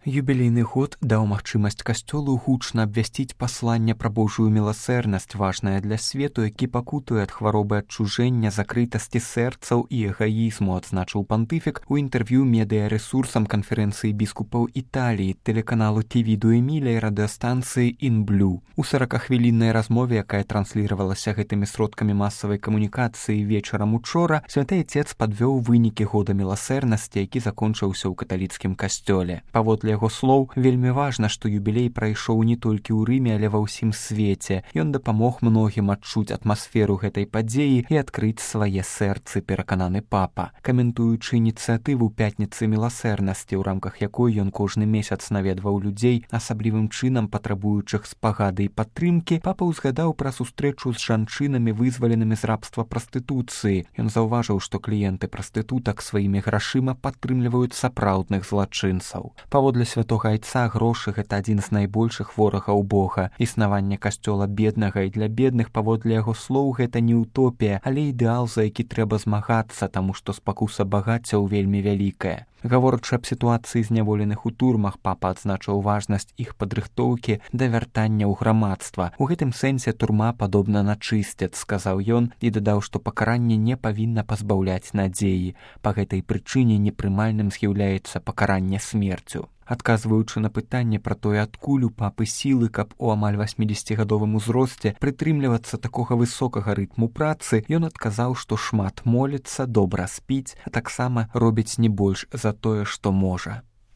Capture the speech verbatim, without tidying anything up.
Юбілейны год даў магчымасць касцёлу гучна абвясціць пасланне пра Божую міласэрнасць, важнае для свету, які пакутуе ад хваробы адчужэння, закрытасці сэрцаў і эгаізму, адзначыў пантыфік у інтэрв'ю медыярэсурсам канферэнцыі біскупаў Італіі, тэлеканалу Ті Ві ду Еміля і радыёстанцыі «Інблю». У саракахвіліннай размове, якая трансліравалася гэтымі сродкамі масавай камунікацыі вечарам учора, святы Отец падвёў вынікі года міласэрнасці, які закончыўся ў каталіцкім касцёле. Паводле яго слоў, вельмі важна, што юбілей прайшоў не толькі ў Рыме, але ва ўсім свеце. Ён дапамог многім адчуць атмасферу гэтай падзеі і адкрыць свае сэрцы, перакананы папа. Каментуючы ініцыятыву пятніцы міласэрнасці, у рамках якой ён кожны месяц наведваў людзей, асаблівым чынам патрабуючых спагады і падтрымкі, папа ўзгадаў пра сустрэчу з жанчынамі, вызваленымі з рабства прастытуцыі. Ён заўважыў, што кліенты прастытутак сваімі грашыма падтрымліваюць сапраўдных злачынцаў. Паводле святога Айца грошы — гэта адзін з найбольшых ворагаў Бога. Існаванне касцёла беднага і для бедных, паводле яго слоў, гэта не утопія, але ідэал, за які трэба змагацца, таму што спакуса багаццяў вельмі вялікая. Гаворачы аб сітуацыі зняволеных у турмах, папа адзначыў важнасць іх падрыхтоўкі да вяртання ў грамадства. У гэтым сэнсе турма падобна на чысцец, сказаў ён і дадаў, што пакаранне не павінна пазбаўляць надзеі. Па гэтай прычыне непрымальным з'яўляецца пакаранне смерцю. Адказваючы на пытанне пра тое, адкуль у папы сілы, каб у амаль васьмідзесяцігадовым узросце прытрымлівацца такога высокага рытму працы, ён адказаў, што шмат моліцца, добра спіць, а таксама робіць не больш за тое, што можа.